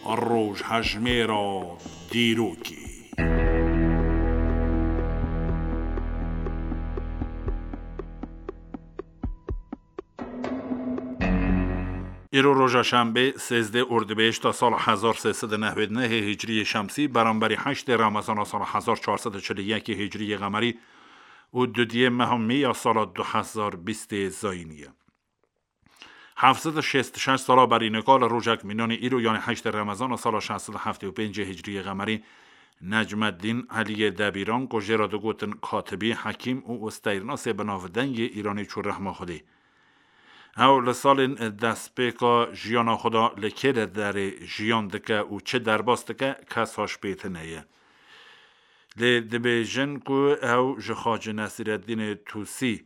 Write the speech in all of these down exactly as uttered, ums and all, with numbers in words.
Rojhejmêra dîrokê. Îro roja şembê, sêzdeh Ordibêhişta sala hezar sê sed û newêd nehê Hicriyê Şemsî, beramberî heştê Remezana sala hezar çar sed û çil û yekê Hicriyê Qemerî û dudiyê meha Mê ya sala du hezar bîstê Zayînî ye. Heft sed û şêst û şeş sala berî nika li rojek mînanî îro, yanî heştê Remezana sala şeş sed û heftê û pêncê Hicriyê Qemerî, Necmeddîn Eliyê Debîran, ku jê re digotin Katibî, hekîm û steyrinasê bi navdengê Îranî çû rehma Xwedê. Ew li salên destpêka jiyana xwe de li kê de derê jiyan dike û çi derbas dike, kes haş pê tune ye. Lê dibêjin ku ew ji Xacî Nesîreddînê Tûsî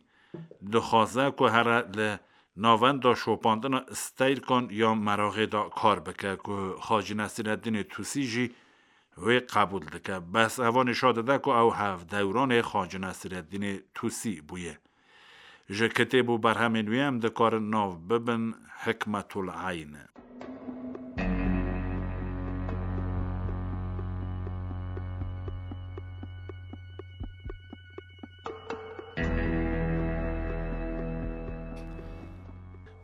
dixwaze ku here li navenda şopandina steyrikan ya meraxê de kar bike, ku Xacî Nesîreddînê Tûsî jî wê qebûl dike. Bes eva nîşa dide ku ew hevdewranê Xacî Nesîreddînê Tûsî bûye. Ji kitêb û berhemên wî em dikarin nav bibin Hikmetul Eyn.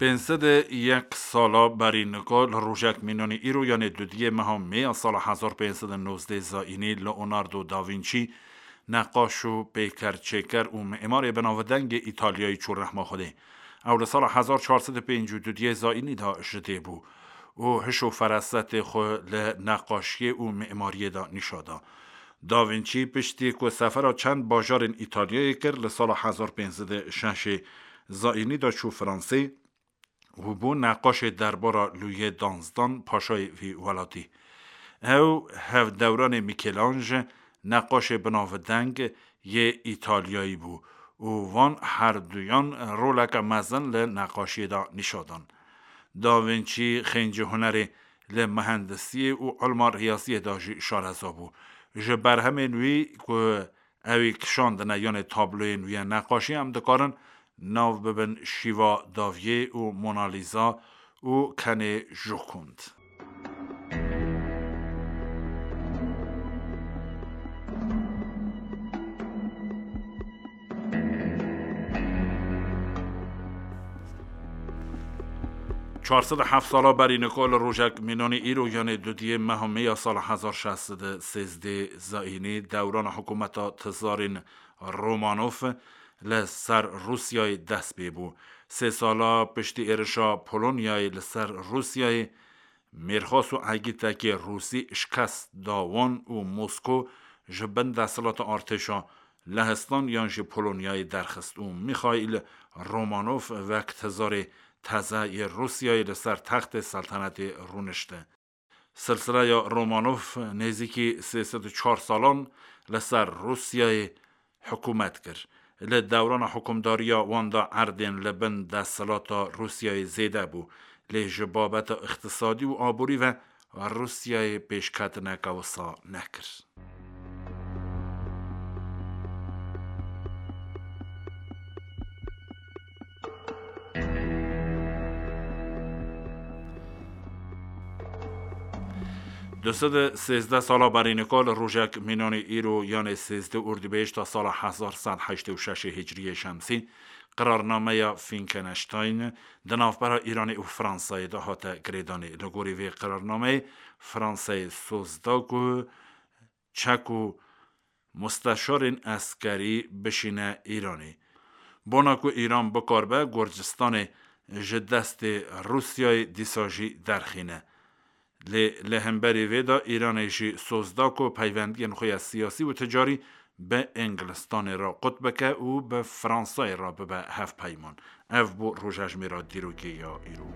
Pênc sed û yek sala berî nika li rojek mînanî îro, yanê dudiyê meha Mê ya sala hezar pênc sed û nozdeh Zayînî, Leonardo da Vinci, neqaş û pêker çêker û mimarê binavdengê Îtalyayî çû rehma Xwedê. Ew li sala hezar çar sed û pêncî û dudiyê Zayînî de ji dê bû û hiş û ferasetê xwe li neqaşiyê û mimariyê de nîşa da. Da Vinci piştî ku sefera çend bajarên Îtalyayê kir, li sala hezar pênc sed û şeş Zayînî de çû Fransê û bû neqaşê derbara Lûyê danzdan, paşayê vî welatî. Ew hevdewranê Michelangelo, neqaşê binavdeng yê Îtalyayî bû û van herduyan roleke mezin li neqaşiyê de nîşa dan. Da Vinci xêncî hunerê li mehendisiyê û ilma riyaziyê de jî şareza bû. Ji berhemên wî ku ew ê kişandine, yanê tabloyên wî ya neqaşî, em dikarin nav bibin Şîva Daviyê û Mona Lisa û Kenê Jokund. Çar sed û heft sala berî nika li rojek mînanî îro, yanê dudiyê meha Mê ya sala hezar şeş sed û sêzdeh Zayînî, dewrana hikûmeta tizarên Romanov li ser Rûsyayê dest pê bû. Sê sala piştî êrişa Polonyayê li ser Rûsyayê, Mêrxas û egîtekê Rûsî şikest da wan û Mosko ji bin desthilata artêşa Lehistan yan jî Polonyayê derxist û Mîxaîl Romanov wek tizarê teze yê Rûsyayê li ser textê seltenetê rûnişti. Silsileya Romanov nêzîkî sê sed û çar salan li ser Rûsyayê hikûmet kir. Li dewrana hikûmdariya wan de erdên li bin desthilata Rûsyayê zêde bû, lê ji babeta îqtisadî û aborî ve Rûsyayê pêşketineke wisa nekir. Du sed û sêzdeh sala berî nika li rojek mînanî îro, yanê sêzdeh Ordibêhişta sala hezar sed heştê û şeş Hicriyê Şemsî, qirarnameya Finkenstein di navbera Îranê û Fransayê de hate girêdanê. Li gorî vê qirarnameyê Fransayê soz da ku çek û musteşarên eskerî bişîne Îranê. Bona ku Îran bikaribe Gurcistanê ji destê Rûsyayê dîsa jî derxîne. Lê li hemberî vê de Îranê jî soz da ku peywendiyên xwe ya siyasî û ticarî bi Îngilistanê re qut bike û bi Fransayê re bibe hevpeyman. Ev bû rojejmêra dîrokê ya îro.